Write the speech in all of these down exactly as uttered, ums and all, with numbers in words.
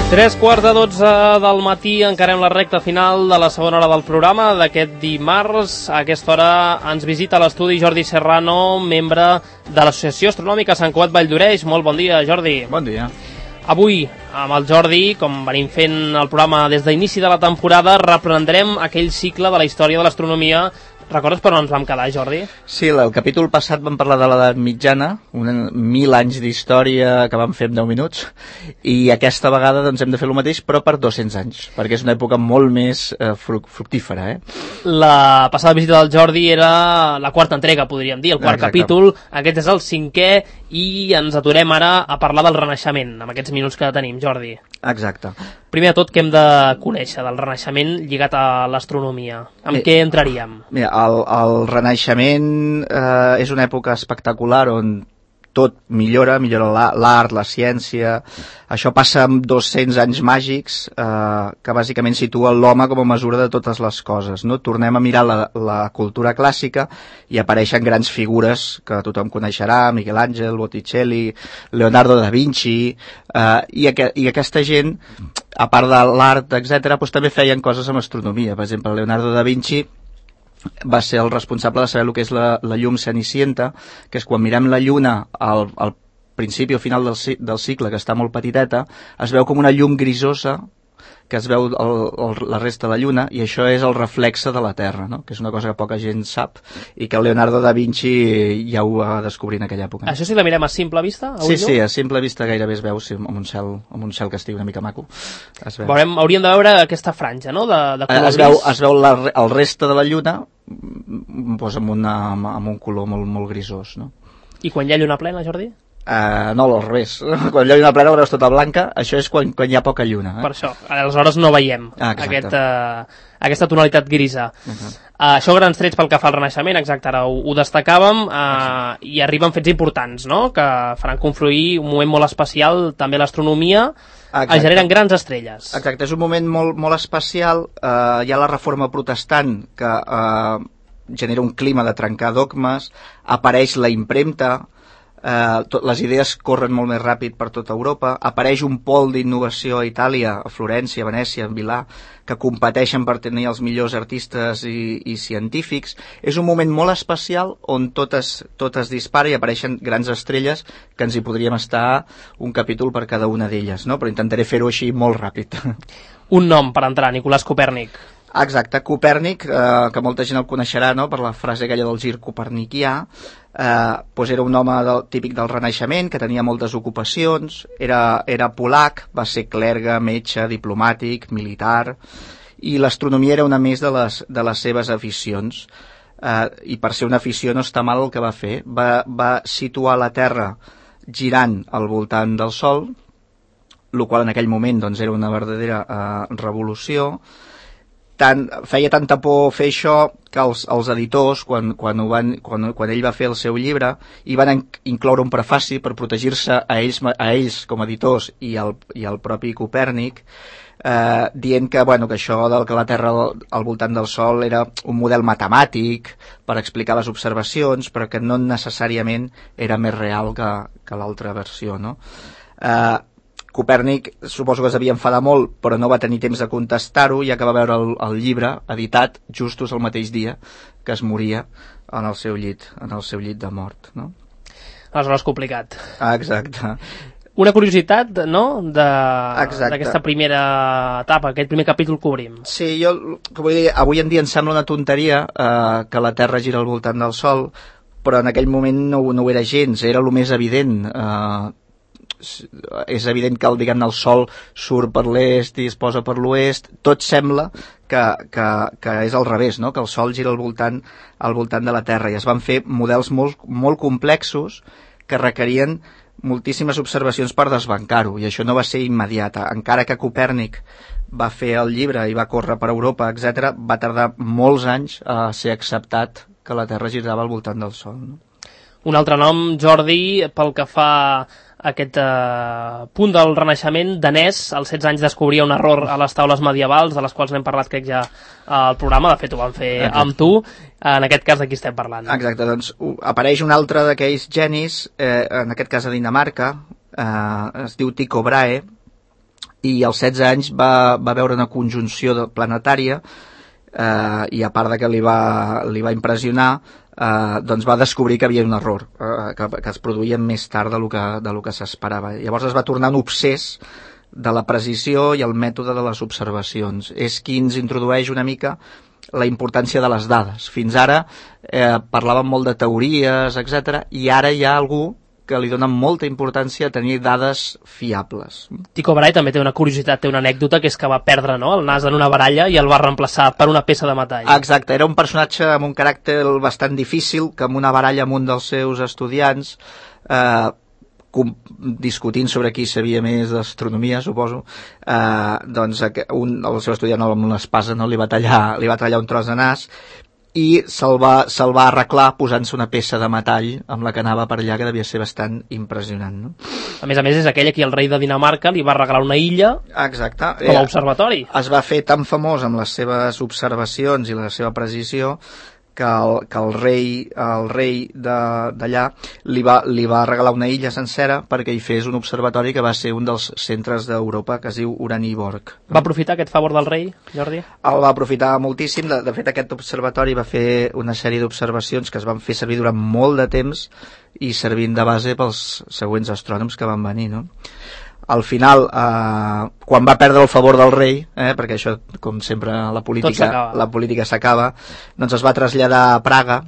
Tres quarts de dotze del matí, encarem la recta final de la segona hora del programa d'aquest dimarts. A aquesta hora ens visita a l'estudi Jordi Serrano, membre de l'Associació Astronòmica Sant Cugat Valldoreix. Molt bon dia, Jordi. Bon dia. Avui, amb el Jordi, com venim fent el programa des d'inici de la temporada, reprendrem aquell cicle de la història de l'astronomia. Recordes per on ens vam quedar, Jordi? Sí, el capítol passat vam parlar de l'edat mitjana, un mil anys d'història que vam fer en deu minuts, i aquesta vegada doncs, hem de fer el mateix, però per dos-cents anys, perquè és una època molt més eh, fructífera. Eh? La passada visita del Jordi era la quarta entrega, podríem dir, el quart Exacte. capítol. Aquest és el cinquè i ens aturem ara a parlar del Renaixement, amb aquests minuts que tenim, Jordi. Exacte. Primer de tot, què hem de conèixer del Renaixement lligat a l'astronomia? Amb Eh, què entraríem? Mira, el, el Renaixement eh, és una època espectacular on tot millora, millora l'art, la ciència. Això passa amb dos-cents anys màgics eh, que bàsicament situa l'home com a mesura de totes les coses. No? Tornem a mirar la, la cultura clàssica i apareixen grans figures que tothom coneixerà, Miquel Àngel, Botticelli, Leonardo da Vinci, eh, i, aqu i aquesta gent, a part de l'art, etcètera, doncs també feien coses amb astronomia. Per exemple, Leonardo da Vinci va ser el responsable de saber el que és la, la llum cenicienta, que és quan mirem la lluna al, al principi o final del, del cicle, que està molt petiteta, es veu com una llum grisosa que es veu el, el, la resta de la lluna, i això és el reflexe de la Terra, no? Que és una cosa que poca gent sap i que Leonardo da Vinci ja ho va descobrir en aquella època. Això sí la mirem a simple vista? A sí, sí, a simple vista gairebé es veu, sí, amb un cel, amb un cel que estigui una mica maco. Es veu. Veurem, hauríem de veure aquesta franja, no?, de, de color es veu, gris. es veu la, el reste de la lluna pues, amb, una, amb un color molt, molt grisós, no? I quan hi ha lluna plena, Jordi? Uh, no, al revés. Quan hi ha lluna plena la veus tota blanca, això és quan, quan hi ha poca lluna. Eh? Per això, aleshores no veiem ah, aquest, uh, aquesta tonalitat grisa. Uh -huh. uh, això grans trets pel que fa al Renaixement, exacte, ara ho, ho destacàvem, uh, i arriben fets importants, no?, que faran confluir un moment molt especial, també l'astronomia, es generen grans estrelles. Exacte, és un moment molt, molt especial. Uh, hi ha la reforma protestant que uh, genera un clima de trencar dogmes, apareix la impremta, Uh, tot, les idees corren molt més ràpid per tota Europa, apareix un pol d'innovació a Itàlia, a Florència, a Venècia, a Milà, que competeixen per tenir els millors artistes i, i científics. És un moment molt especial on tot es, tot es dispara i apareixen grans estrelles que ens hi podríem estar un capítol per cada una d'elles, no? Però intentaré fer-ho així molt ràpid. Un nom per entrar, Nicolàs Copèrnic. Exacte, Copèrnic, eh, que molta gent el coneixerà, no?, per la frase aquella del gir copernicià. Eh, doncs era un home del, típic del Renaixement, que tenia moltes ocupacions, era, era polac, va ser clergue, metge, diplomàtic, militar, i l'astronomia era una més de les, de les seves aficions. Eh, I per ser una afició no està mal el que va fer. Va, va situar la Terra girant al voltant del Sol, el qual en aquell moment doncs, era una verdadera eh, revolució. Tant, feia tanta por fer això que els, els editors, quan, quan, ho van, quan, quan ell va fer el seu llibre, hi van incloure un prefaci per protegir-se a ells, a ells com a editors i el, i el propi Copèrnic, eh, dient que, bueno, que això del que la Terra al, al voltant del Sol era un model matemàtic per explicar les observacions, però que no necessàriament era més real que, que l'altra versió, no? Eh, Copèrnic suposo que es devia enfadar molt, però no va tenir temps de contestar-ho, ja que va veure el, el llibre editat justos el mateix dia que es moria en el seu llit, en el seu llit de mort, no? Aleshores complicat. Ah, exacte. Una curiositat, no?, d'aquesta primera etapa, aquest primer capítol que obrim. Sí, jo, que vull dir, avui en dia em sembla una tonteria eh, que la Terra gira al voltant del Sol, però en aquell moment no, no ho era gens, era el més evident. Eh, és evident que el, diguem, el Sol surt per l'est i es posa per l'oest. Tot sembla que, que, que és al revés, no? Que el Sol gira al voltant, al voltant de la Terra, i es van fer models molt, molt complexos que requerien moltíssimes observacions per desbancar-ho, i això no va ser immediat. Encara que Copèrnic va fer el llibre i va córrer per Europa, etcètera, va tardar molts anys a ser acceptat que la Terra girava al voltant del Sol, no? Un altre nom, Jordi, pel que fa aquest eh, punt del Renaixement, danès, als setze anys descobria un error a les taules medievals, de les quals n'hem parlat crec ja al programa, de fet ho vam fer Exacte. amb tu, en aquest cas de qui estem parlant. Exacte, doncs apareix un altre d'aquells genis, eh, en aquest cas a Dinamarca, eh, es diu Tycho Brahe, i als setze anys va, va veure una conjunció de planetària eh, i a part de que li va, li va impressionar, eh, doncs va descobrir que havia un error, eh, que, que es produïa més tard de lo que, de lo que s'esperava. Llavors es va tornar un obsès de la precisió i el mètode de les observacions. És qui ens introdueix una mica la importància de les dades. Fins ara eh, parlàvem molt de teories, etcètera, i ara hi ha algú que li dona molta importància a tenir dades fiables. Tycho Brahe també té una curiositat, té una anècdota, que és que va perdre, no?, el nas en una baralla i el va reemplaçar per una peça de metall. Exacte, era un personatge amb un caràcter bastant difícil, que amb una baralla amb un dels seus estudiants, eh, discutint sobre qui sabia més d'astronomia, suposo, eh, doncs un, el seu estudiant amb una espasa, no, li va tallar, li va tallar un tros de nas, i se'l va, se'l va arreglar posant-se una peça de metall amb la que anava per allà, que devia ser bastant impressionant, no? A més a més, és aquell a qui el rei de Dinamarca li va regalar una illa. Exacte. Com a observatori. Es va fer tan famós amb les seves observacions i la seva precisió que el, que el rei, el rei d'allà li, va, li va regalar una illa sencera perquè hi fes un observatori que va ser un dels centres d'Europa, que es diu Uraniborg. Va aprofitar aquest favor del rei, Jordi? El va aprofitar moltíssim. De, de fet, aquest observatori va fer una sèrie d'observacions que es van fer servir durant molt de temps i servint de base pels següents astrònoms que van venir, no? Al final, eh, quan va perdre el favor del rei, eh, perquè això, com sempre, la política la política s'acaba, doncs es va traslladar a Praga,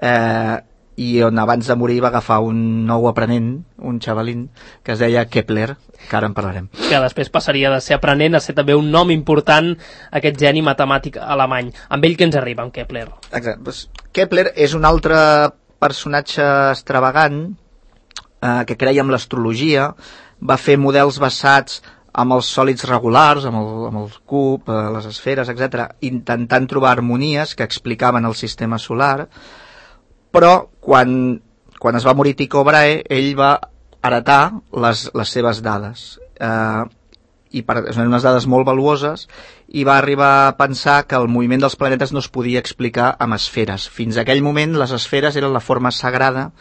eh, i on abans de morir va agafar un nou aprenent, un xavalín, que es deia Kepler, que ara en parlarem. Que després passaria de ser aprenent a ser també un nom important, aquest geni matemàtic alemany. Amb ell què ens arriba, amb Kepler? Exacte. Pues, Kepler és un altre personatge extravagant eh, que creia en l'astrologia, va fer models basats amb els sòlids regulars, amb el, amb el cub, eh, les esferes, etcètera, intentant trobar harmonies que explicaven el sistema solar, però quan, quan es va morir Tycho Brahe, ell va heretar les, les seves dades, eh, i per, són unes dades molt valuoses, i va arribar a pensar que el moviment dels planetes no es podia explicar amb esferes. Fins a aquell moment les esferes eren la forma sagrada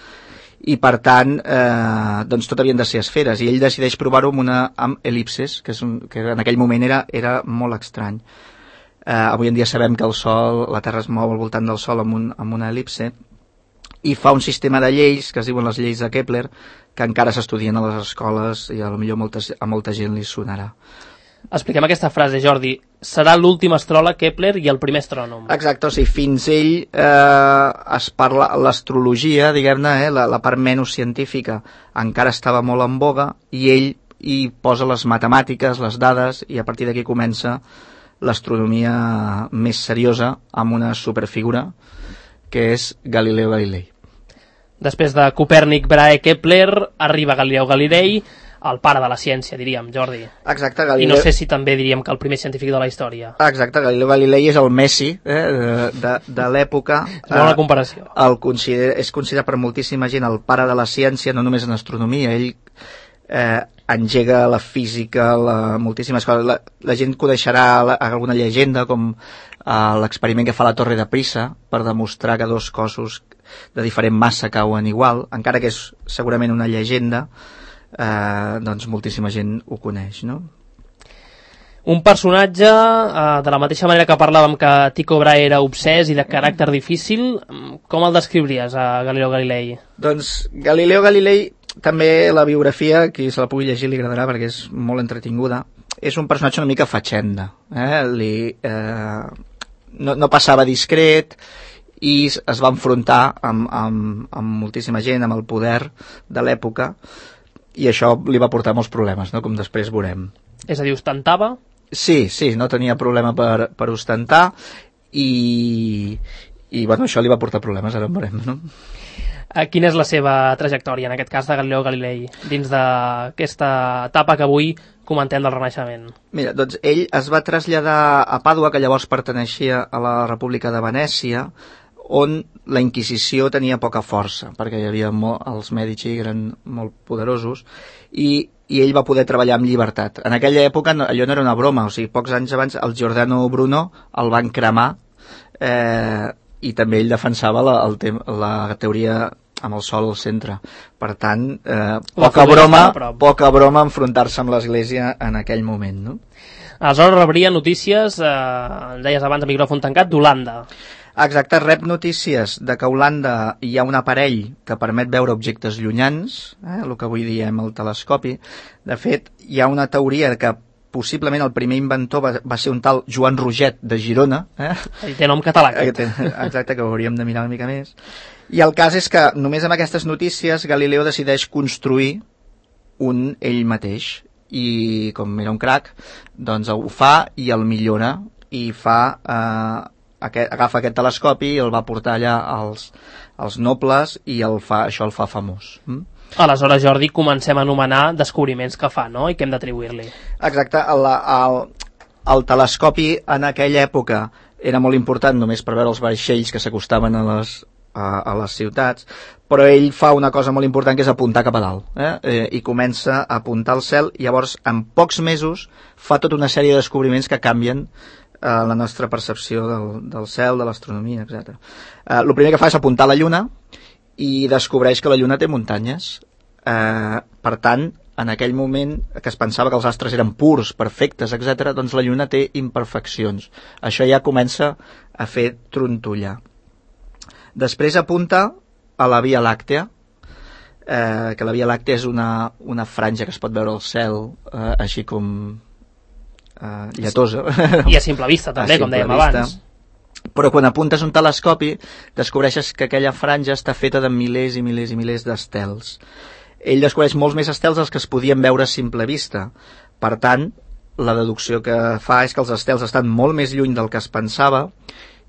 i per tant eh, doncs tot havien de ser esferes, i ell decideix provar-ho amb una amb el·lipses, que, és un, que en aquell moment era, era molt estrany. Eh, avui en dia sabem que el Sol, la Terra es mou al voltant del Sol amb, un, amb una el·lipse, i fa un sistema de lleis que es diuen les lleis de Kepler, que encara s'estudien a les escoles i a, millor molta, a molta gent li sonarà. Expliquem aquesta frase, Jordi. Serà l'últim astròleg Kepler i el primer astrònom. Exacte, o sigui, fins ell eh, es parla, l'astrologia, diguem-ne, eh, la, la part menys científica encara estava molt en boga, i ell hi posa les matemàtiques, les dades, i a partir d'aquí comença l'astronomia més seriosa amb una superfigura que és Galileo Galilei. Després de Copèrnic, Brahe, Kepler, arriba Galileu Galilei, el pare de la ciència, diríem, Jordi. Exacte, Galileu... I no sé si també diríem que el primer científic de la història. Exacte, Galileu Galilei és el Messi eh, de, de, de l'època. És bona comparació. El consider, és considerat per moltíssima gent el pare de la ciència, no només en astronomia. Ell eh, engega la física, la, moltíssimes coses. La, la gent coneixerà la, alguna llegenda, com eh, l'experiment que fa la Torre de Pisa per demostrar que dos cossos de diferent massa cauen igual, encara que és segurament una llegenda. Eh, doncs moltíssima gent ho coneix, no? Un personatge, eh, de la mateixa manera que parlàvem que Tycho Brahe era obsès i de caràcter difícil, com el descriuries a Galileo Galilei? Doncs Galileo Galilei, també la biografia, qui se la pugui llegir li agradarà perquè és molt entretinguda, és un personatge una mica fatxenda, eh? Li, eh, no, no passava discret, i es va enfrontar amb, amb, amb moltíssima gent, amb el poder de l'època, i això li va portar molts problemes, no? Com després veurem. És a dir, ostentava? Sí, sí, no tenia problema per, per ostentar, i, i bueno, això li va portar problemes, ara en veurem, no? Quina és la seva trajectòria, en aquest cas de Galileo Galilei, dins d'aquesta etapa que avui comentem del Renaixement? Mira, doncs ell es va traslladar a Pàdua, que llavors perteneixia a la República de Venècia, on la Inquisició tenia poca força, perquè hi havia molt, els Medici eren molt poderosos, i, i ell va poder treballar amb llibertat. En aquella època allò no era una broma, o sigui, pocs anys abans el Giordano Bruno el van cremar, eh, i també ell defensava la, el tem la teoria amb el sol al centre. Per tant, eh, poca broma, poca broma enfrontar-se amb l'Església en aquell moment, no? Aleshores rebria notícies, eh, deies abans a micròfon tancat, d'Holanda. Exacte, rep notícies de que a Holanda hi ha un aparell que permet veure objectes llunyans, eh, el que avui diem el telescopi. De fet, hi ha una teoria que possiblement el primer inventor va, va ser un tal Joan Roget de Girona. Eh? Ell té nom català. Exacte, que ho hauríem de mirar una mica més. I el cas és que només amb aquestes notícies Galileo decideix construir un ell mateix. I com era un crac, doncs ho fa i el millora i fa... Eh, Aquest, agafa aquest telescopi i el va portar allà als, als nobles i el fa, això el fa famós. Mm? Aleshores, Jordi, comencem a anomenar descobriments que fa, no? I què hem d'atribuir-li. Exacte, el, el, el telescopi en aquella època era molt important només per veure els vaixells que s'acostaven a les, a, a les ciutats, però ell fa una cosa molt important que és apuntar cap a dalt, eh? Eh, i comença a apuntar al cel, i llavors en pocs mesos fa tota una sèrie de descobriments que canvien la nostra percepció del, del cel, de l'astronomia, etcètera. Eh, el primer que fa és apuntar a la Lluna i descobreix que la Lluna té muntanyes. Eh, per tant, en aquell moment que es pensava que els astres eren purs, perfectes, etcètera, doncs la Lluna té imperfeccions. Això ja comença a fer trontollar. Després apunta a la Via Làctea, eh, que la Via Làctea és una, una franja que es pot veure al cel, eh, així com... Uh, lletosa. I a simple vista també, com dèiem vista. abans. Però quan apuntes un telescopi descobreixes que aquella franja està feta de milers i milers i milers d'estels. Ell descobreix molts més estels dels que es podien veure a simple vista. Per tant, la deducció que fa és que els estels estan molt més lluny del que es pensava,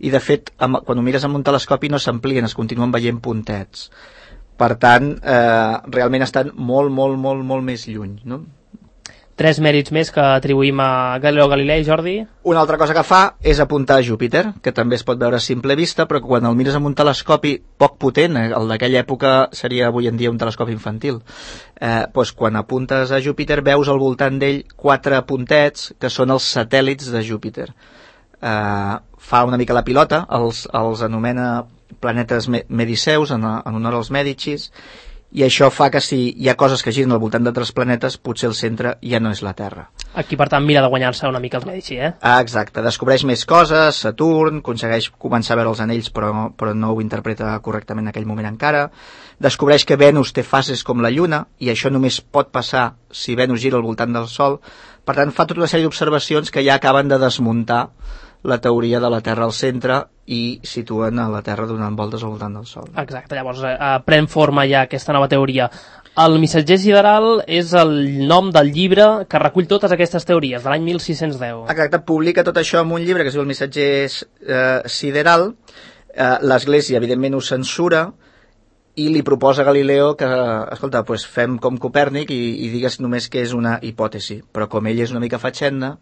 i de fet, amb, quan ho mires amb un telescopi no s'amplien, es continuen veient puntets. Per tant, eh, realment estan molt, molt, molt, molt més lluny, no? Tres mèrits més que atribuïm a Galileo Galilei, Jordi. Una altra cosa que fa és apuntar a Júpiter, que també es pot veure a simple vista, però quan el mires amb un telescopi poc potent, el d'aquella època seria avui en dia un telescopi infantil, eh, doncs quan apuntes a Júpiter veus al voltant d'ell quatre puntets que són els satèl·lits de Júpiter. Eh, fa una mica la pilota, els, els anomena planetes mediceus en, en honor als Mèdicis, i això fa que si hi ha coses que giren al voltant d'altres planetes, potser el centre ja no és la Terra. Aquí, per tant, mira de guanyar-se una mica els Mèdici, eh? Ah, exacte, descobreix més coses, Saturn, aconsegueix començar a veure els anells, però, però no ho interpreta correctament en aquell moment encara, descobreix que Venus té fases com la Lluna, i això només pot passar si Venus gira al voltant del Sol. Per tant, fa tota una sèrie d'observacions que ja acaben de desmuntar la teoria de la Terra al centre i situen a la Terra donant voltes al voltant del Sol. Exacte, llavors eh, pren forma ja aquesta nova teoria. El Missatger Sideral és el nom del llibre que recull totes aquestes teories, de l'any mil sis-cents deu. Exacte, publica tot això en un llibre que es diu El Missatger eh, Sideral. Eh, L'Església, evidentment, ho censura i li proposa a Galileo que, escolta, pues fem com Copèrnic i, i digues només que és una hipòtesi, però com ell és una mica fatxenda,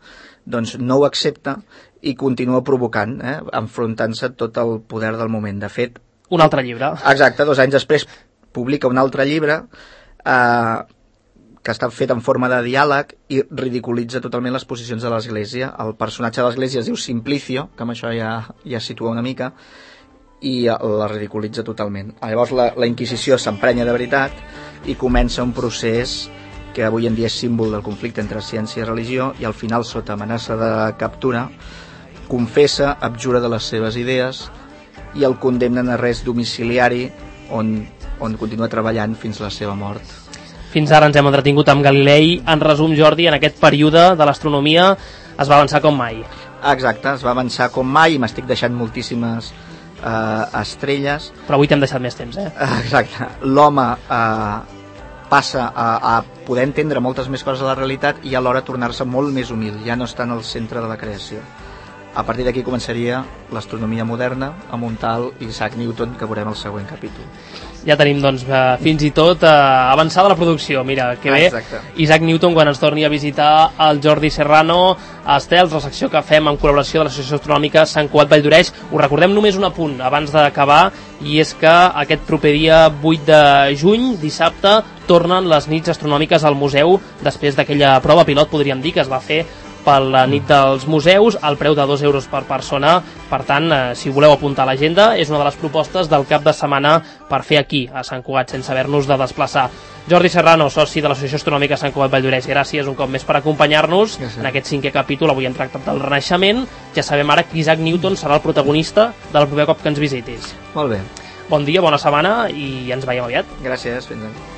doncs no ho accepta i continua provocant, eh, enfrontant-se tot el poder del moment. De fet... Un altre llibre. Exacte, dos anys després publica un altre llibre eh, que està fet en forma de diàleg i ridiculitza totalment les posicions de l'Església. El personatge de l'Església es diu Simplicio, que amb això ja, ja situa una mica, i la ridiculitza totalment. Llavors la, la Inquisició s'emprenya de veritat i comença un procés que avui en dia és símbol del conflicte entre ciència i religió, i al final, sota amenaça de captura, confessa, abjura de les seves idees i el condemnen a arrest domiciliari on, on continua treballant fins la seva mort. Fins ara ens hem entretingut amb Galilei. En resum, Jordi, en aquest període de l'astronomia es va avançar com mai. Exacte, es va avançar com mai i m'estic deixant moltíssimes Uh, estrelles. Però avui t'hem deixat més temps, eh? Exacte. L'home uh, passa a, a poder entendre moltes més coses de la realitat i alhora tornar-se molt més humil, ja no està en el centre de la creació. A partir d'aquí començaria l'astronomia moderna amb un tal Isaac Newton que veurem al següent capítol. Ja tenim, doncs, fins i tot eh, avançada la producció. Mira, que bé. Exacte. Isaac Newton, quan ens torni a visitar el Jordi Serrano a Estels, la secció que fem en col·laboració de l'Associació Astronòmica Sant Cugat Valldoreix. Us recordem només un apunt abans d'acabar, i és que aquest proper dia vuit de juny, dissabte, tornen les nits astronòmiques al museu després d'aquella prova pilot, podríem dir, que es va fer per la nit dels museus, al preu de dos euros per persona. Per tant, eh, si voleu apuntar a l'agenda, és una de les propostes del cap de setmana per fer aquí, a Sant Cugat, sense haver-nos de desplaçar. Jordi Serrano, soci de l'Associació Astronòmica Sant Cugat Valldoreix, gràcies un cop més per acompanyar-nos gràcies. En aquest cinquè capítol. Avui hem tractat del Renaixement. Ja sabem ara que Isaac Newton serà el protagonista del proper cop que ens visitis. Molt bé. Bon dia, bona setmana i ens veiem aviat. Gràcies, fins ara.